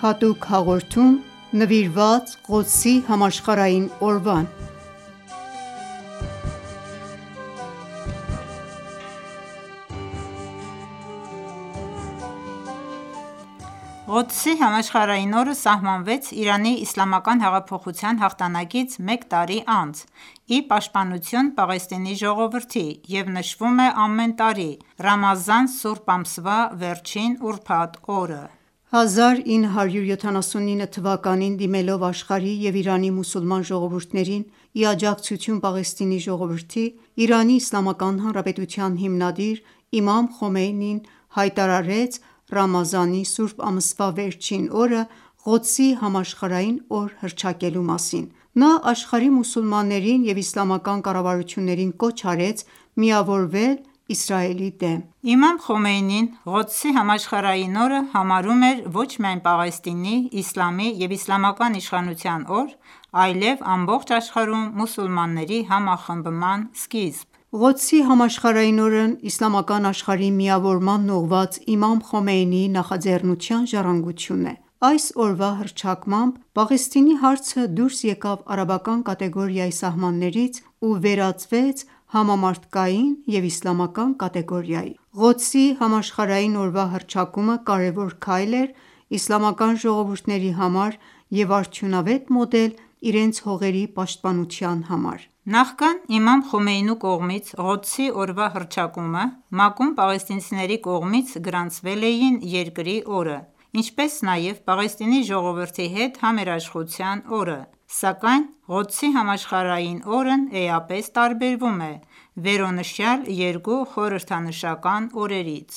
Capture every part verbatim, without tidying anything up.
հատուկ հաղորդում նվիրված Ղոդսի համաշխարհային օրվան: Ղոդսի համաշխարհային օրը սահմանվեց Իրանի իսլամական հեղափոխության հաղթանակից մեկ տարի անց, ի պաշտպանություն Պաղեստինի ժողովրդի և նշվում է ամեն տարի Ռամազան սուրբ ամսվա վերջին ուրբաթ օրը: հազար ինը հարյուր յոթանասունինը թվականին դիմելով աշխարհի և Իրանի մուսուլման ժողովուրդներին ի աջակցություն Պաղեստինի ժողովրդի, Իրանի Իսլամական Հանրապետության հիմնադիր իմամ Խոմեյնին հայտարարեց Ռամազանի սուրբ ամսվա վերջին օրը Ղոդսի համաշխարհային օր հռչակելու մասին: Նա աշխարհի մուսուլմաններին և իսլամական կառավարություններին կոչ արեց միավորվել Իսրայելի դեմ: Իմամ Խոմեյնին Ղոդսի համաշխարհային օրը համարում էր ոչ միայն Պաղեստինի, իսլամի և իսլամական իշխանության օր, այլև ամբողջ աշխարհում մուսուլմանների համախմբման սկիզբ: Ղոդսի համաշխարհային օրն իսլամական աշխարհի միավորմանն ուղղված իմամ Խոմեյնիի նախաձեռնության ժառանգությունն է: Այս օրվա հռչակմամբ Պաղեստինի հարցը դուրս եկավ արաբական կատեգորիայի սահմաններից ու վերածվեց համամարտկային և իսլամական կատեգորիայի: Ղոդսի համաշխարհային օրվա հռչակումը կարևոր քայլ էր իսլամական ժողովուրդների համար և արդյունավետ մոդել իրենց հողերի պաշտպանության համար: Նախքան իմամ Խոմեյնու կողմից Ղոդսի օրվա հռչակումը, ՄԱԿ-ում պաղեստինցիների կողմից գրանցվել էին երկրի օրը, ինչպես նաև Պաղեստինի ժողովրդի հետ համերաշխության օրը, սակայն Ղոդսի համաշխարհային օրն էապես տարբերվում է վերոնշյալ երկու խորհրդանշական օրերից: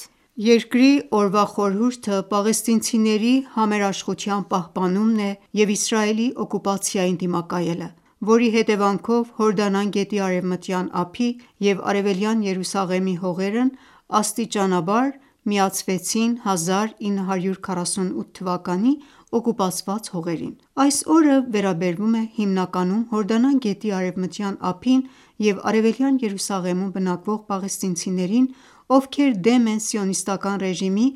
Երկրի օրվա խորհուրդը պաղեստինցիների համերաշխության պահպանումն է և Իսրայելի օկուպացիային դիմակայելը, որի հետևանքով Հորդանան գետի Արևմտյան ափի և Արևելյան Երուսաղեմի հողերն աստիճանաբար միացվեցին հազար ինը հարյուր քառասունութ թվականի օկուպացված հողերին: Այս օրը վերաբերվում է հիմնականում Հորդանան գետի Արևմտյան ափին և Արևելյան Երուսաղեմում բնակվող պաղեստինցիներին, ովքեր դեմ են Սիոնիստական ռեժիմի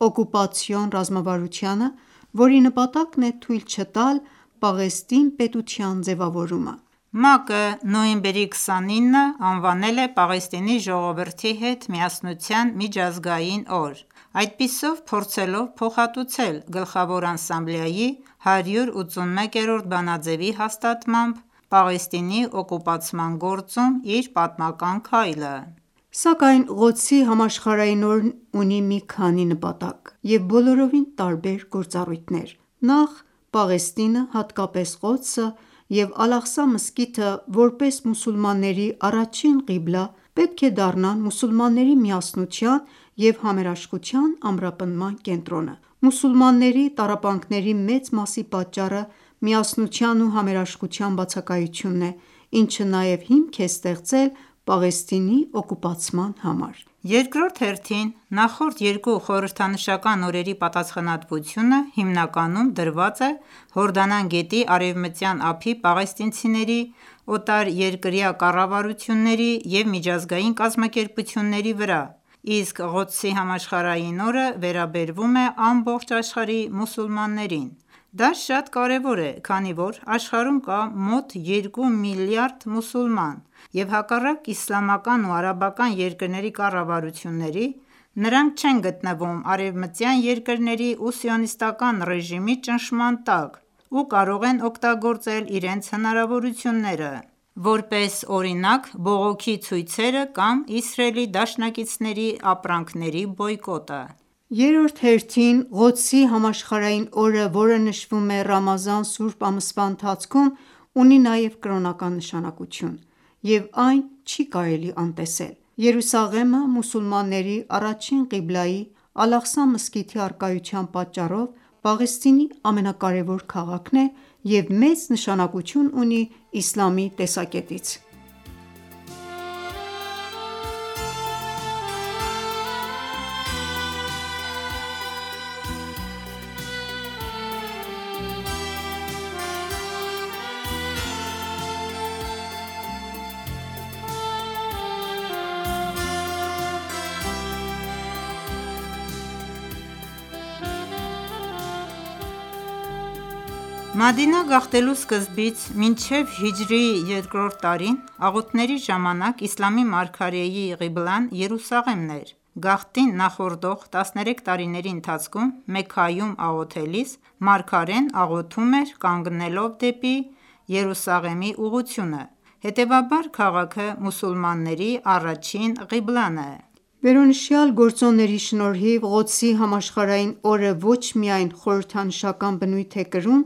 օկուպացիոն ռազմավարությանը, որի նպատակն է թույլ չտալ Պաղեստին պետության ձևավորումը: ՄԱԿ-ը նոյեմբերի քսանինը անվանել է Պաղեստինի ժողովրդի հետ միասնության միջազգային օր, այդպիսով փորձելով փոխհատուցել Գլխավոր ասամբլեայի հարյուր ութսունմեկերորդ բանաձեւի հաստատմամբ Պաղեստինի օկուպացման գործում իր պատմական քայլը: Սակայն Ղոդսի համաշխարհային օրն ունի մի քանի նպատակ և բոլորովին տարբեր գործառույթներ: Նախ Պաղեստինը, հատկապես Ղոդսը և Ալ-Աղսա մզկիթը, որպես մուսուլմանների առաջին ყիբլա, պետք է դառնան մուսուլմանների միասնության և համերաշխության ամրապնդման կենտրոնը: Մուսուլմանների տառապանքների մեծ մասի պատճառը միասնության ու համերաշխության բացակայությունն է, ինչը նաև հիմք է ստեղծել Պաղեստինի օկուպացման համար: Երկրորդ հերթին, նախորդ երկու խորհրդանշական օրերի պատասխանատվությունը հիմնականում դրված է Հորդանան գետի Արևմտյան ափի պաղեստինցիների, օտարերկրյա կառավարությունների և միջազգային կազմակերպությունների վրա, իսկ Ղոդսի համաշխարհային օրը վերաբերվում է ամբողջ աշխարհի մուսուլմաններին: Դա շատ կարևոր է, քանի որ աշխարհում կա մոտ երկու միլիարդ մուսուլման և հակառակ իսլամական ու արաբական երկրների կառավարությունների, նրանք չեն գտնվում արևմտյան երկրների ու Սիոնիստական ռեժիմի ճնշման տակ ու կարող են օգտագործել իրենց հնարավորությունները, որպես օրինակ բողոքի ցույցերը կամ Իսրայելի դաշնակիցների ապրանքների բոյկոտը: Երրորդ հերթին, Ղոդսի համաշխարհային օրը, որը նշվում է Ռամազան սուրբ ամսվա ընթացքում, ունի նաև կրոնական նշանակություն և այն չի կարելի անտեսել: Երուսաղեմը մուսուլմանների առաջին ყիբլայի՝ Ալ-Աղսա մզկիթի առկայության պատճառով Պաղեստինի ամենակարևոր քաղաքն է և մեծ նշանակություն ունի իսլամի տեսակետից: Մադինա գաղթելու սկզբից մինչև հիջրեթի երկրորդ տարին աղոթքների ժամանակ իսլամի մարգարեի ղիբլան Երուսաղեմն էր: Գաղթին նախորդող տասներեք տարիների ընթացքում Մեքքայում աղոթելիս մարգարեն աղոթում էր կանգնելով դեպի Երուսաղեմի ուղղությունը: Հետևաբար քաղաքը մուսուլմանների առաջին ղիբլան է: Վերոնշյալ գործոնների շնորհիվ Ղոդսի համաշխարհային օրը ոչ միայն խորհրդանշական բնույթ է կրում,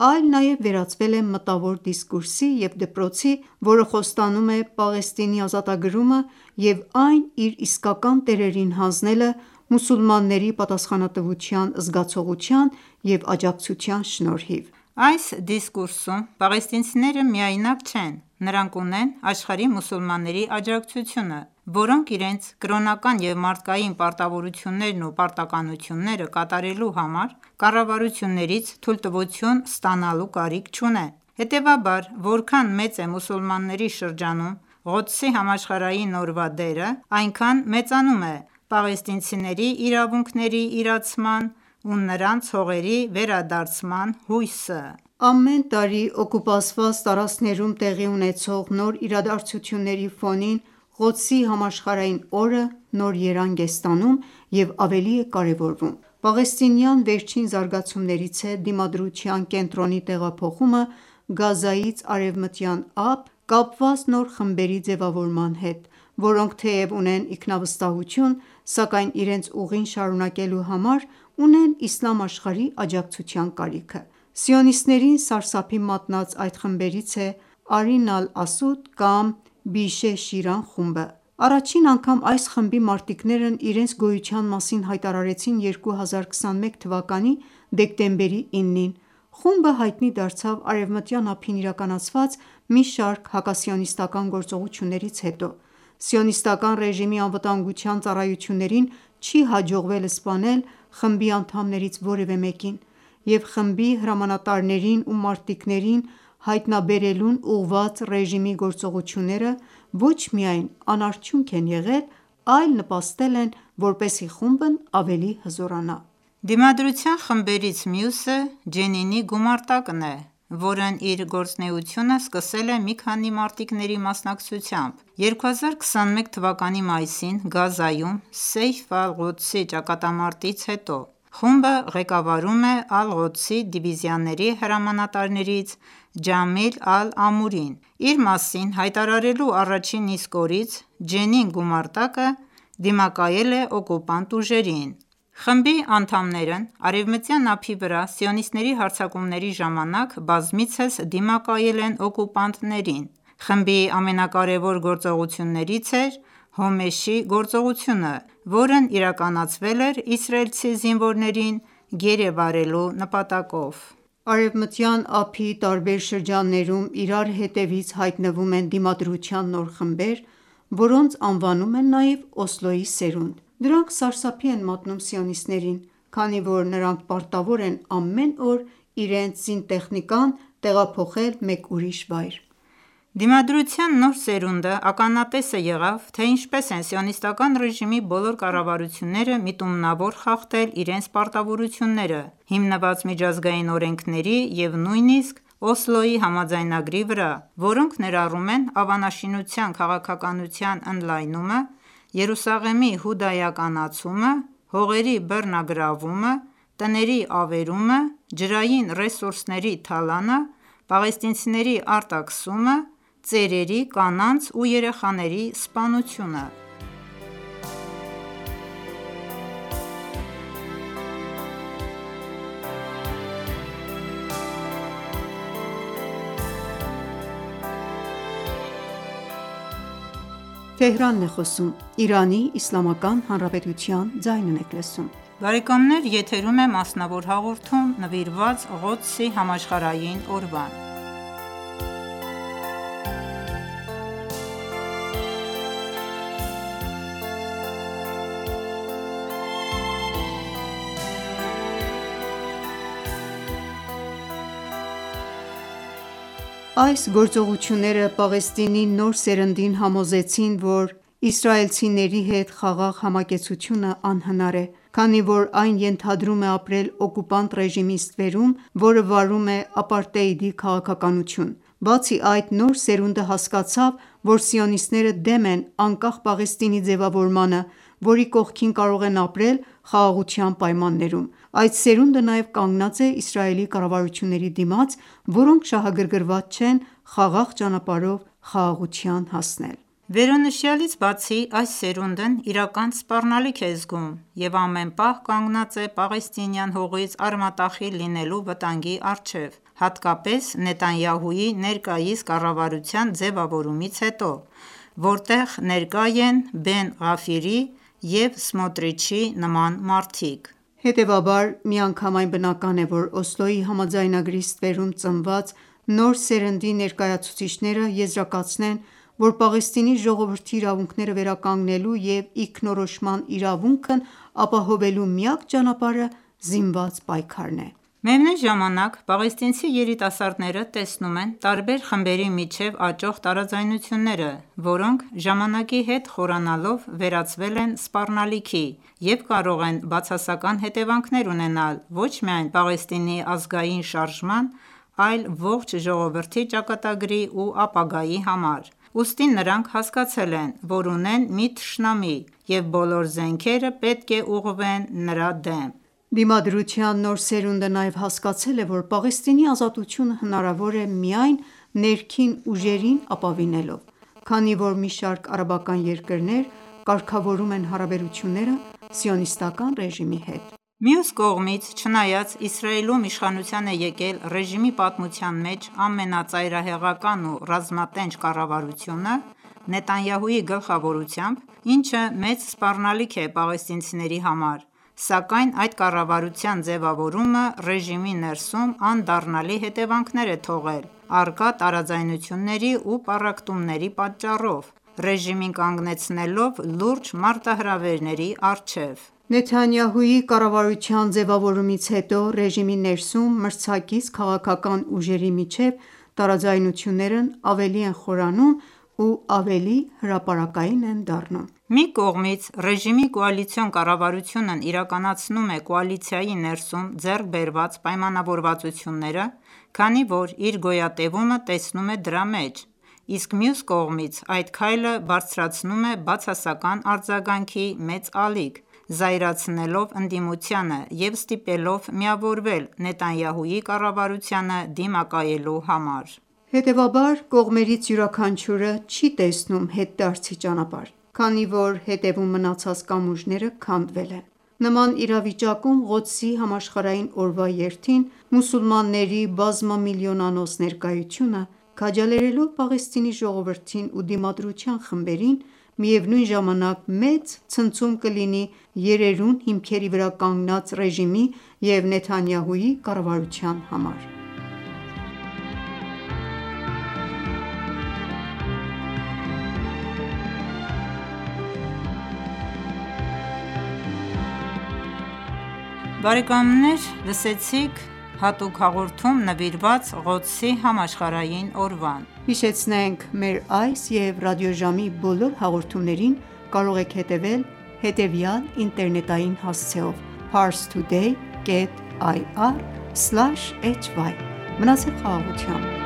այլ նաև վերածվել է մտավոր դիսկուրսի և դպրոցի, որը խոստանում է Պաղեստինի ազատագրումը և այն իր իսկական տերերին հանձնելը մուսուլմանների պատասխանատվության զգացողության և աջակցության շնորհիվ: Այս դիսկուրսում պաղեստինցիները միայնակ չեն: Նրանք ունեն աշխարհի մուսուլմանների աջակցությունը, որոնք իրենց կրոնական և մարդկային պարտավորություններն ու պարտականությունները կատարելու համար կառավարություններից թույլտվություն ստանալու կարիք չունեն: Հետևաբար որքան մեծ է մուսուլմանների շրջանում Ղոդսի համաշխարհային օրվա դերը, այնքան մեծանում է պաղեստինցիների իրավունքների իրացման ու նրանց հողերի վերադարձման հույսը: Ամեն տարի օկուպացված տարածքներում տեղի ունեցող նոր իրադարձությունների ֆոնին Ղոդսի համաշխարհային օրը նոր երանգ է ստանում և ավելի է կարևորվում: Պաղեստինյան վերջին զարգացումներից է Դիմադրության կենտրոնի տեղափոխումը Գազայից Արևմտյան Ափ՝ կապված նոր խմբերի ձևավորման հետ, որոնք թեև ունեն ինքնավստահություն, սակայն իրենց ուղին շարունակելու համար ունեն իսլամ աշխարհի աջակցության կարիքը: Սիոնիստներին սարսափի մատնած այդ խմբերից է Արին Ալ-Ասուդ կամ Բիշե Շիրան խումբը: Առաջին անգամ այս խմբի մարտիկներն իրենց գոյության մասին հայտարարեցին երկու հազար քսաներկու թվականի դեկտեմբերի իննին: Խումբը հայտնի դարձավ Արևմտյան ափին իրականացված մի շարք հակասիոնիստական գործողություններից հետո: Սիոնիստական ռեժիմի անվտանգության ծառայություններին չի հաջողվել սպանել խմբի անդամներից որևէ մեկին և խմբի հրամանատարներին ու մարտիկներին հայտնաբերելուն ուղղված ռեժիմի գործողությունները ոչ միայն անարդյունք են եղել, այլ նպաստել են, որպեսզի խումբն ավելի հզորանա: Դիմադրության խմբերից մյուսը Ջենինի գումարտակն է, որն իր գործունեությունը սկսել է մի քանի մարտիկների մասնակցությամբ: երկու հազար քսաներկու թվականի մայիսին Գազայում Սեյֆ Ալ-Ղոդսի ճակատամարտից հետո խումբը ղեկավարում է Ալ-Ղոդսի դիվիզիաների հրամանատարներից Ջամիլ Ալ-Ամուրին: Իր մասին հայտարարելու առաջին իսկ օրից Ջենին գումարտակը դիմակայել է օկուպանտ ուժերին: Խմբի անդամներն Արևմտյան ափի վրա սիոնիստների հարձակումների ժամանակ բազմիցս դիմակայել են օկուպանտներին: Խմբի ամենակարևոր գործողություններից էր Հոմեշի գործողությունը, որն իրականացվել էր իսրայելցի զինվորներին գերեվարելու նպատակով: Արևմտյան ափի տարբեր շրջաններում իրար հետևից հայտնվում են Դիմադրության նոր խմբեր, որոնց անվանում են նաև Օսլոյի սերունդ: Դրանք սարսափի են մատնում սիոնիստներին, քանի որ նրանք պարտավոր են ամեն օր իրենց զինտեխնիկան տեղափոխել մեկ ուրիշ վայր: Դիմադրության նոր սերունդը ականատեսը եղավ, թե ինչպես են սիոնիստական ռեժիմի բոլոր կառավարությունները միտումնավոր խախտել իրենց պարտավորությունները հիմնված միջազգային օրենքների և նույնիսկ Օսլոյի համաձայնագրի վրա, որոնք ներառում են ավանաշինության քաղաքականության ընդլայնումը, Երուսաղեմի հուդայականացումը, հողերի բռնագրավումը, տների ավերումը, ջրային ռեսուրսների թալանը, պաղեստինցիների արտաքսումը, ծերերի, կանանց ու երեխաների սպանությունը: Այս գործողությունները Պաղեստինի նոր սերնդին համոզեցին, որ իսրայելցիների հետ խաղաղ համակեցությունը անհնար է, քանի որ այն ենթադրում է ապրել օկուպանտ ռեժիմի ստվերում, որը վարում է ապարտեիդի քաղաքականություն: Բացի այդ, նոր սերունդը հասկացավ, որ սիոնիստները դեմ են անկախ Պաղեստինի ձևավորմանը, որի կողքին կարող են ապրել խաղաղության պայմաններում: Այդ սերունդը նաև կանգնած է Իսրայելի կառավարությունների դիմաց, որոնք շահագրգռված չեն խաղաղ ճանապարհով խաղաղության հասնել: Վերոնշյալից բացի, այս սերունդն իրական սպառնալիք է զգում և ամեն պահ կանգնած է պաղեստինյան հողից արմատախիլ լինելու վտանգի առջև, հատկապես Նեթանյահուի ներկայիս կառավարության ձևավորումից հետո, որտեղ ներկա են Բեն Ղաֆիրի և Սմոտրիչի նման մարդիկ: Հետևաբար, միանգամայն բնական է, որ Օսլոյի համաձայնագրի ստվերում ծնված նոր սերնդի ներկայացուցիչները եզրակացնեն, որ Պաղեստինի ժողովրդի իրավունքները վերականգնելու և ինքնորոշման իրավունքն ապահովելու միակ ճանապարհը զինված պայքարն է: Միևնույն ժամանակ, պաղեստինցի երիտասարդները տեսնում են տարբեր խմբերի միջև աճող տարաձայնությունները, որոնք ժամանակի հետ խորանալով վերածվել են սպառնալիքի և կարող են բացասական հետևանքներ ունենալ ոչ միայն Պաղեստինի ազգային շարժման, այլ ողջ ժողովրդի ճակատագրի ու ապագայի համար: Ուստի նրանք հասկացել են, որ ունեն մի թշնամի և բոլոր զենքերը պետք է ուղղվեն նրա դեմ: Դիմադրության նոր սերունդը նաև հասկացել է, որ Պաղեստինի ազատությունը հնարավոր է միայն ներքին ուժերին ապավինելով, քանի որ մի շարք արաբական երկրներ կարգավորում են հարաբերությունները Սիոնիստական ռեժիմի հետ: Մյուս կողմից, չնայած Իսրայելում իշխանության է եկել ռեժիմի պատմության մեջ ամենածայրահեղական ու ռազմատենչ կառավարությունը Նեթանյահուի գլխավորությամբ, ինչը մեծ սպառնալիք է պաղեստինցիների համար, սակայն այդ կառավարության ձևավորումը ռեժիմի ներսում անդառնալի հետևանքներ է թողել առկա տարաձայնությունների ու պառակտումների պատճառով, ռեժիմին կանգնեցնելով լուրջ մարտահրավերների առջև: Նեթանյահուի կառավարության ձևավորումից հետո ռեժիմի ներսում մրցակից քաղաքական ուժերի միջև տարաձայնություններն ավելի են խորանում ու ավելի հրապարակային են դառնում: Մի կողմից, ռեժիմի կոալիցիոն կառավարությունն իրականացնում է կոալիցիայի ներսում ձեռք բերված պայմանավորվածությունները, քանի որ իր գոյատևումը տեսնում է դրա մեջ, իսկ մյուս կողմից, այդ քայլը բարձրացնում է բացասական արձագանքի մեծ ալիք, զայրացնելով ընդդիմությանը և ստիպելով միավորվել Նեթանյահուի կառավարությանը դիմակայելու համար: Հետևաբար, կողմերից յուրաքանչյուրը չի տեսնում հետդարձի ճանապարհ, քանի որ հետևում մնացած կամուրջները քանդվել են: Նման իրավիճակում Ղոդսի համաշխարհային օրվա երթին մուսուլմանների բազմամիլիոնանոց ներկայությունը, քաջալերելով Պաղեստինի ժողովրդին ու դիմադրության խմբերին, միևնույն ժամանակ մեծ ցնցում կլինի երերուն հիմքերի վրա կանգնած ռեժիմի և Նեթանյահուի կառավարության համար: Բարեկամներ լսեցիք հատուկ հաղորդում նվիրված Ղոդսի համաշխարհային օրվան: Հիշեցնենք մեր այս և ռադիոժամի բոլոր հաղորդումներին կարող եք հետևել հետևյալ ինտերնետային հասցեով՝ Parstoday կետ այ առ սլաշ էյչ վայ: Մնացեք խաղաղությամբ: